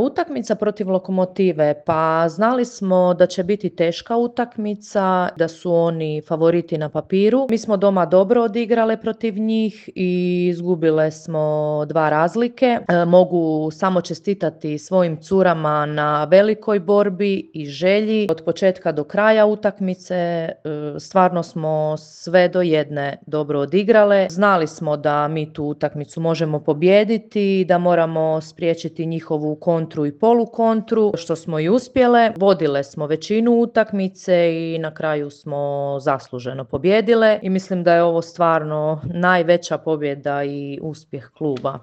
Utakmica protiv Lokomotive, pa znali smo da će biti teška utakmica, da su oni favoriti na papiru. Mi smo doma dobro odigrale protiv njih i izgubile smo 2 razlike. Mogu samo čestitati svojim curama na velikoj borbi i želji od početka do kraja utakmice. Stvarno smo sve do jedne dobro odigrale. Znali smo da mi tu utakmicu možemo pobijediti, da moramo spriječiti njihovu kontru i polukontru, što smo i uspjele. Vodile smo većinu utakmice i na kraju smo zasluženo pobijedile i mislim da je ovo stvarno najveća pobjeda i uspjeh kluba.